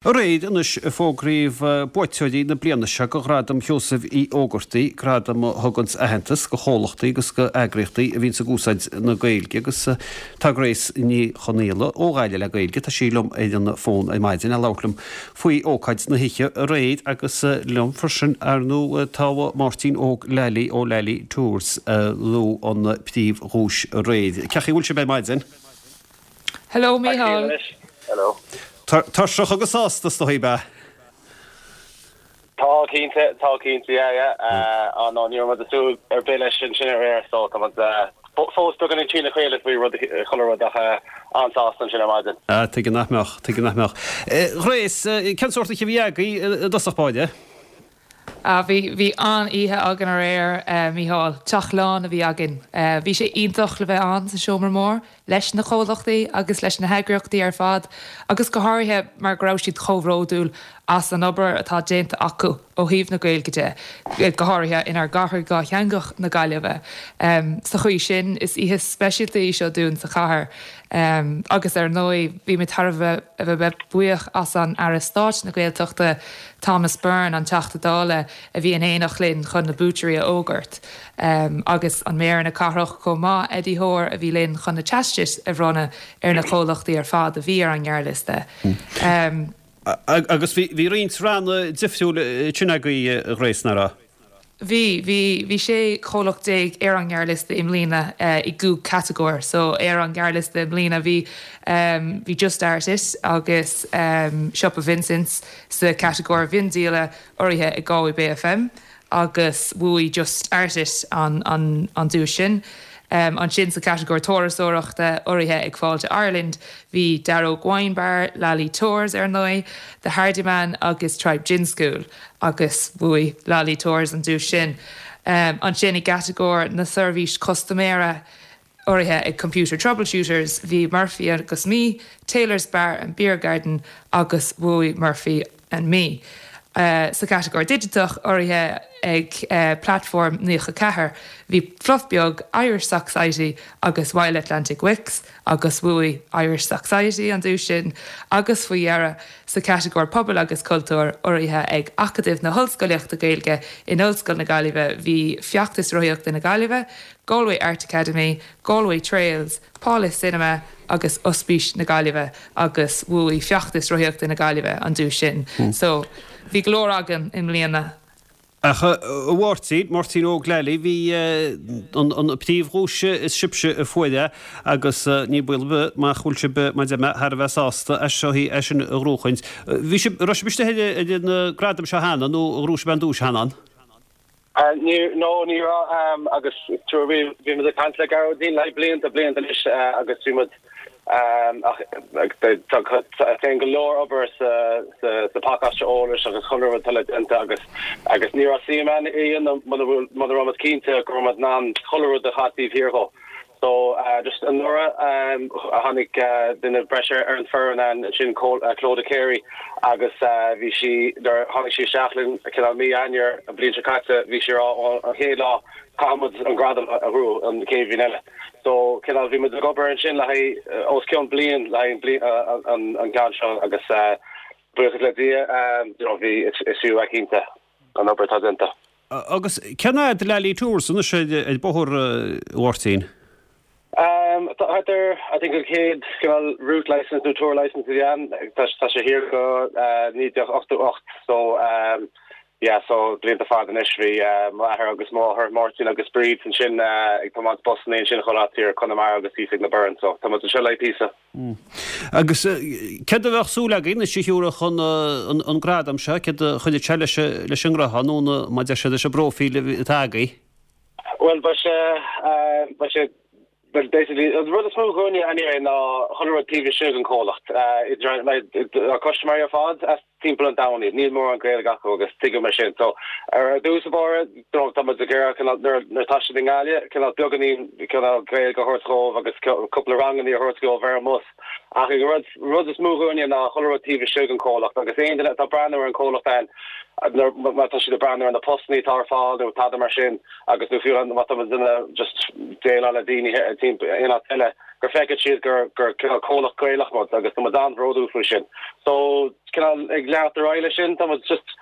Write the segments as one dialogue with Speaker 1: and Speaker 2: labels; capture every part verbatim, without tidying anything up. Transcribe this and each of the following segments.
Speaker 1: Aréir anois a fógraíodh buaiteoirí na bliana seo do Ghradam Sheosaimh Uí Ógartaigh, gradam a thuganns aitheantas do chomhlachtaí agus do eagraíochtaí a bhíonns ag úsáid na Gaeilge agus tá Grace Ní Chonaola ó Ghaillimh le Gaeilge, tá sí liom ar an bhfón ar maidin le labhairt liom faoi ócáid na hoíche aréir agus liom freisin ar ndóigh tá Máirtín Óg Lally ó Lally Tours a bhuaigh an príomhdhuais aréir. Cén chaoi a bhfuil sibh ar maidin?
Speaker 2: Hello Mícheál.
Speaker 3: Hello.
Speaker 1: Tuirseach agus sásta is dóigh be.
Speaker 3: Tá cinnte tá cinnte yeah yeah uh, no ní raibh muid súil ar bith leis sin sin aréir so tá fós beagáinín trína chéile faoi rud chuile rud ach an-sásta ansin ar maidin.
Speaker 1: Ah, tuige nach mbeadh, tuige nach mbeadh. Grace, cén sórt oíche a bhí agaibh i dtosach báire?
Speaker 2: Ah, bhí bhí an-oíche againn aréir uh, Mícheál, teach lán a bhí againn. Uh, bhí sé iontach le bheith ann sa seomra mór leis na comhlachtaí agus leis na heagraíochtaí ar fad, agus go háirithe mar go raibh siad chomh bródúil as an obair atá déanta acu ó thaobh na Gaeilge de, go háirithe inár gcathair dhátheangach na Gaillimhe. Um, sa chaoi sin is oíche speisialta í seo dúinn sa chathair. Um, agus ar ndóigh bhí mé thar a bheith buíoch as an Aire Stáit na Gaeltachta Thomas Byrne an Teachta Dála a bhí in éineacht linn chun na buaiteoirí a fhógairt. Um, agus an méara na cathrach chomh maith Eddie Hoare a bhí linn chun na teastais a bhronnadh ar na comhlachtaí ar fad a bhí ar an ngearrliosta. Um,
Speaker 1: Agus bhí roinnt ranna difriúil sin agaibh Grace nach raibh?
Speaker 2: Bhí bhí bhí sé chomhlacht déag ar an ngearrliosta i mbliana uh, i gcúig catagóir, so ar an ngearrliosta i mbliana bhí um, bhí Just Art It agus um, Siopa Vincent's sa catagóir mhiondíola urraithe ag Galway Bay FM agus bhuaigh Just Art It an, an, an duais sin. Um, ansin sa catagóir turasóireachta urraithe ag Fáilte Ireland, bhí Darrow Wine Bar, Lally Tours ar ndóigh, The Hardyman agus Tribe Gin School agus bhuaigh Lally Tours an duais sin. Um, ansin i gcatagóir na seirbhís custaiméara urraithe ag Computer Troubleshooters, bhí Murphy agus Me, Taylor's Bar and Beer Garden agus bhuaigh Murphy and Me. Uh, sa catagóir digiteach urraithe ag uh, platform naocha ceathair, bhí Fluff Beag, Irish Society agus Wild Atlantic Wicks agus bhuaigh Irish Society an duais sin agus faoi dheireadh sa catagóir pobal agus cultúr urraithe ag Acadamh na hOllscolaíochta Gaeilge in Ollscoil na Gaillimhe bhí Feachtas Rothaíochta na Gaillimhe, Galway Art Academy, Galway Trails, Paula Cinema agus Ospís na Gaillimhe agus bhuaigh Feachtas Rothaíochta na Gaillimhe an duais sin. Mm. So bhí go leor againn i mbliana.
Speaker 1: Ach a Mháirtín, Máirtín Óg Lally, bhí an príomhdhuais is sibhse a fuair é agus ní baol nach bhfuil sibh mar thar a bheith sásta as seo é sin a ghnóthachaint. Bhí sibh raibh sibh istigh ar na gradaim seo cheana nó raibh sibh an duais cheana?
Speaker 3: No ní raibh agus bhí bhí muid ag caint le Gearóidín le blianta blianta anois agus bhí muid tá go leor obair sa sa pacáiste eolais agus chuile rud le déanamh agus agus ní raibh suim againn muna raibh muid cinnte go raibh an chuile rud a chatíh híró. So uh, just anuraidh um, a tháinig uh, duine breise ar an bhfoireann an sin uh, Clodagh Carey agus uh, bhí sí tháinig sí isteach linn cineál mí Eanáir an bhliain seo caite bhí sí an chéad lá caithfidh muid an gradam a bhuachan an chéad bhliain eile. So cineál bhí muid ag obair ansin le os cionn bliain le an an ceann seo agus uh, buíochas le Dia um, bhí is fiú cinnte an obair atá déanta.
Speaker 1: Agus cén fhad Lally Tours anois ar bóthar Mháirtín?
Speaker 3: Um, there, I think an chéad cineál route license nó tour license a bhí ann tá sé thiar go uh, naoi déag ochtó ocht so um, yeah so blianta fada anois bhí uh, m'athair agus máthair Martin agus Bríd ansin uh, ag tiomáint busanna ansin chuile áit ar Conamara agus thíos ag na Burren so tá seo le píosa.
Speaker 1: Mm. Agus céard a bheadh súil againn is siúra chun an gradam seo céard a chuideodh sé leis leis an ngnó nó má deir sé leis an bpróifíl atá agaibh?
Speaker 3: Well ba sé ba sé Well basically an rud is mó dúinne anyway ná chuile rud taobh istigh an comhlacht uh, customer ar fad as timpeall an domhain níl mórán Gaeilge acu agus tuigim mar sin so ar dtús báire tá muid ag nuair tá siad i nGaillimh cineál beagáinín cineál Gaeilge a thabhairt dóibh agus cúpla ranganna a thabhairt dóibh ar an mbus ach ag rud rud is mó dúinne ná chuile rud taobh istigh an comhlacht agus aon duine atá breathnú ar an comhlacht an má tá siad breathnú ar na postanna atá ar fáil nó tada mar sin agus nó fiú má tá duine just déileáil le daoine in áit eile gur feiceann siad gur gur cineál comhlacht Gaelach muid agus tá muid an-bhródúil faoi sin. So cineál ag leanacht ar aghaidh leis sin, tá muid just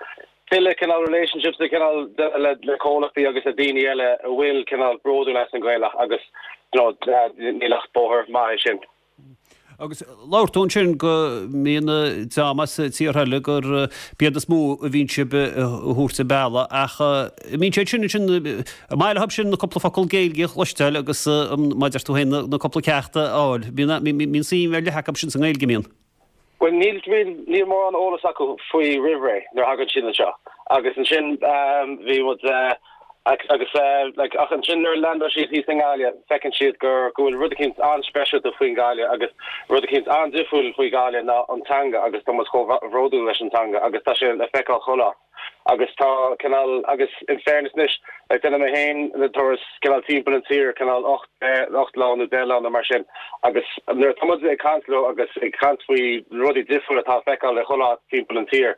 Speaker 3: tuilleadh cineál relationships le cineál le le comhlachtaí agus le daoine eile a bhfuil cineál bródúil as an Ghaeilge agus you know, níl ach bóthar maith é sin.
Speaker 1: Agus labhair tú ansin go mbíonn dream as tíortha eile gur b'iad is mó a bhíonn sibh a thabhairt an bealach ach mbíonn siad sin ansin an maith leo sin na cúpla focal Gaeilge a chloisteáil agus mar a deir tú féin na cúpla ceacht a fháil. Bíonn suim ar leith acu sin sa nGaeilge mbíonn.
Speaker 3: Well níl níl mórán eolas acu faoi roimh ré nuair a thagann siad anseo. Agus ansin bhí muid agus like ach ansin nuair a landáil siad thíos i nGaillimh feiceann siad gur go bhfuil rud eicínt an-speisialta faoin Ghaillimh agus rud eicínt an-difriúil faoi Ghaillimh ná an teanga agus tá muid chomh bhródúil leis an teanga agus tá sé le feiceáil chuile áit. Agus tá cineál agus in fairness anois like déanaim mé féin na turais cineál timpeall an tír cineál ocht ocht lá nó deich lá nó mar sin agus nuair atá muid ag caint leo agus ag caint faoi rudaí difriúla atá le feiceáil le chuile áit timpeall an tír.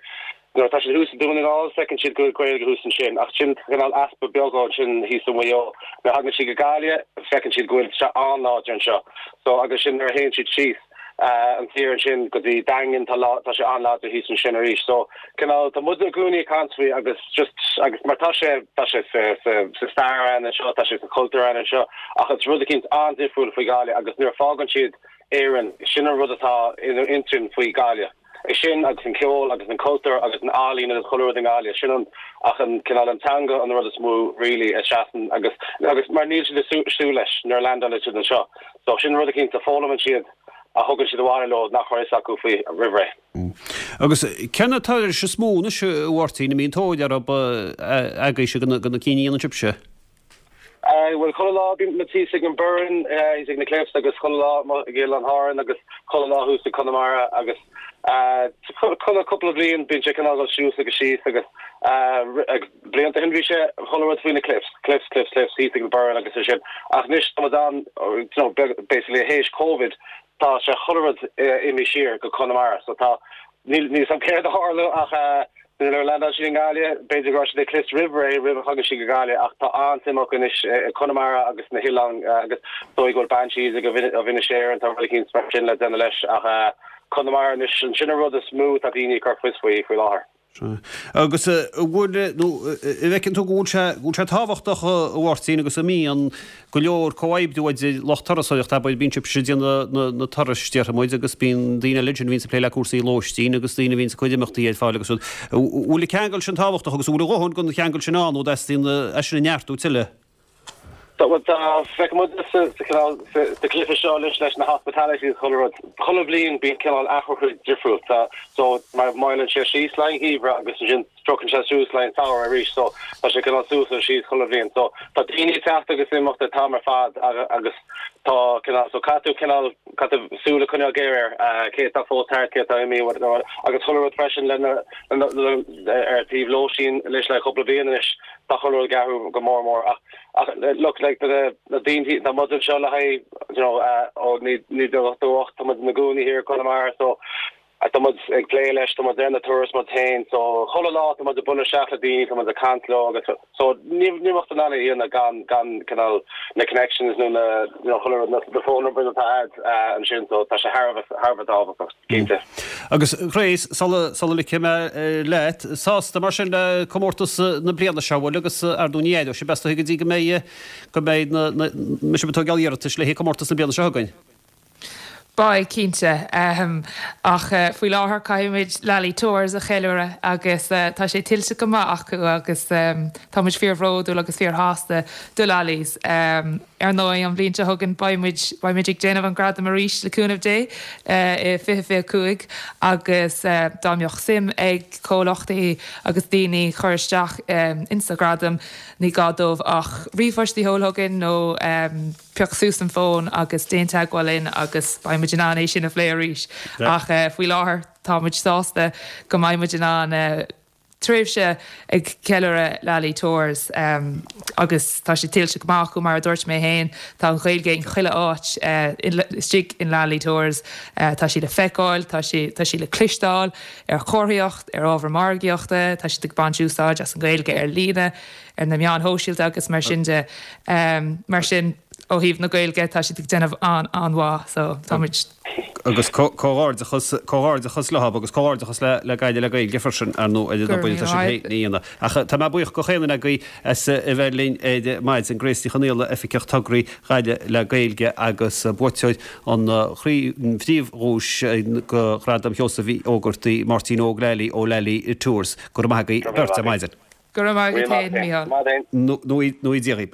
Speaker 3: Nuair atá siad thuas i Dún na nGall feiceann siad go bhfuil Gaeilge thuas ansin ach sin cineál easpa beag ansin thíos i Maigh Eo. Nuair a thagann siad go Gaillimh feiceann siad go bhfuil sé an-láidir anseo. So agus sin nuair a théann siad síos an tír ansin go dtí Daingean tá lá tá sé an-láidir thíos ansin arís. So cineál tá muid i gcónaí ag caint faoi agus just agus mar tá sé tá sé sa sa sa stair ann anseo tá sé sa chultúr ann anseo ach it's rud eicínt an-difriúil faoi Ghaillimh agus nuair a fágann siad Éirinn sin an rud atá ina intinn faoi Ghaillimh. É sin agus an ceol agus an cultúr agus an ealaín agus chuile rud i nGaillimh, sin an ach an cineál an teanga an rud is mó really a seasann agus agus mar níl siad ag súil leis nuair a landálann siad anseo. So sin rud eicínt a foghlaimíonn siad a thugann siad abhaile leo nach raibh fhios acu faoi roimh ré.
Speaker 1: Agus cé na turais is mó anois a Mháirtín, a mbíonn tóir orthu agaibhse do na cinn a dhéanann sibhse?
Speaker 3: Bhuel chuile lá bíonn muid thíos ag an Burren, thíos ag na Cliffs agus chuile lá ag Oileán Árann agus chuile lá thuas ag Conamara agus chuile cúpla bliain bíonn sé cineál dul suas agus síos agus blianta ó shin bhí sé chuile rud faoi na Cliffs, Cliffs, Cliffs, Cliffs thíos ag an Burren agus é sin ach anois tá muid ann you know basically théis Covid tá sé chuile rud imithe siar go Conamara so tá níl níl a fhios agam céard a tharla ach nuair a landáil siad i nGaillimh, b'fhéidir go raibh siad ag Cliffs roimh ré roimh a thagann siad go Gaillimh ach tá an-suim acu anois i Conamara agus na hoileáin agus dóigh go bhfuil Banshees of Inisherin tá rud eicínt mar sin le déanamh leis ach Conamara anois sin an rud is mó atá daoine ag cur fios faoi faoi láthair.
Speaker 1: Agus an bhfuil nó an bhfeiceann tú go bhfuil sé go bhfuil sé tábhachtach a Mháirtín agus an mbíonn go leor comhoibriú idir lucht turasóireachta abair bíonn sibhse ag déanamh na na turais déarfaidh muid agus bíonn daoine eile ansin a bhíonns ag plé le cúrsaí lóistín agus daoine a bhíonns ag cur imeachtaí ar fáil agus rud. An bhfuil an ceangal sin tábhachtach agus an bhfuil a dhóthain den cheangal sin ann nó dteastaíonn é sin a neartú tuilleadh?
Speaker 3: Tá tá feicim muid sa sa cineál sa sa cluiche seo leis leis na hospitality agus chuile rud. Chuile bhliain bíonn cineál athrú difriúil. Tá so mar moilleann sé síos le haghaidh an gheimhreadh agus ansin sroicheann sé suas le haghaidh an samhradh arís so tá sé cineál suas agus síos chuile bhliain. So tá daoine ag teacht agus imeacht an t-am ar fad agus tá cineál so caithfidh tú cineál caithfidh tú súil a choinneáil géar air cé atá fós thart cé atá imithe agus chuile rud freisin le na ar taobh lóistín leis le cúpla bliain anois tá chuile rud ag athrú go mór mór ach ach look like the na daoine tá muid anseo le haghaidh you know ó naoi déag ochtó ocht tá muid ina gcónaí thiar i Conamara so tá muid ag plé leis tá muid ar na turais muid féin so chuile lá tá muid ag bualadh isteach le daoine tá muid ag caint leo agus so ní ní bheadh in ann é a dhéanamh gan gan cineál na connections nó na you know chuile rud na na phone numbers atá a'd ansin so tá sé thar a bheith thar a bheith tábhachtach cinnte.
Speaker 1: Agus Grace, sula sula ligfidh mé leat, sásta mar sin le comórtas na bliana seo, bhfuil agus ar ndóigh ní éireoidh sibh as go dtí go mbeidh go mbeidh na na mbeidh sibh ag tógáil iarratais le haghaidh comórtas na bliana seo chugainn?
Speaker 2: Beidh, cinnte. Ach faoi láthair caithfimid Lally Tours a cheiliúradh agus tá sé tuillte go maith acu agus táimid fíorbhródúil agus fíorshásta do Lally's. Ar ndóigh, an bhliain seo chugainn beimid beimid ag déanamh an gradam arís le cúnamh Dé i fiche fiche cúig agus dá mbeadh suim ag comhlachtaí agus daoine cur isteach insa ghradam ní gá dóibh ach ríomhphost a sheoladh chugainn nó pioc suas an fón agus déan teagmháil linn agus beidh muid in ann é sin a phlé arís. Ach faoi láthair tá muid sásta go mbeidh muid in ann tréimhse ag ceiliúradh Lally Tours agus tá sé tuillte go maith acu mar a dúirt mé féin, tá an Ghaeilge in chuile áit istigh in Lally Tours, tá sí le feiceáil, tá sí tá sí le cloisteáil ar chomharthaíocht, ar ábhar margaíochta, tá siad ag baint úsáid as an Ghaeilge ar líne, ar na meáin shóisialta agus mar sin de. Mar sin ó thaobh na Gaeilge tá siad ag déanamh an an-mhaith so táimid
Speaker 1: Agus comhghairdeachas comhghairdeachas leo agus comhghairdeachas le le Gaillimh le Gaeilge freisin ar ndóigh ar an obair atá siad féin a dhéanamh. Ach tá mé buíoch go chaon duine agaibh as a bheith linn ar maidin, Grace Ní Chonaola, Oifigeach Tograí Ghaillimh le Gaeilge agus buaiteoir an phríomhdhuais go Ghradam Sheosaimh Uí Ógartaigh, Máirtín Óg Lally ó Lally Tours. Go raibh maith agaibh beirt ar maidin.
Speaker 2: Go raibh maith agat féin, Mícheál.
Speaker 1: Nó Dia dhaoibh.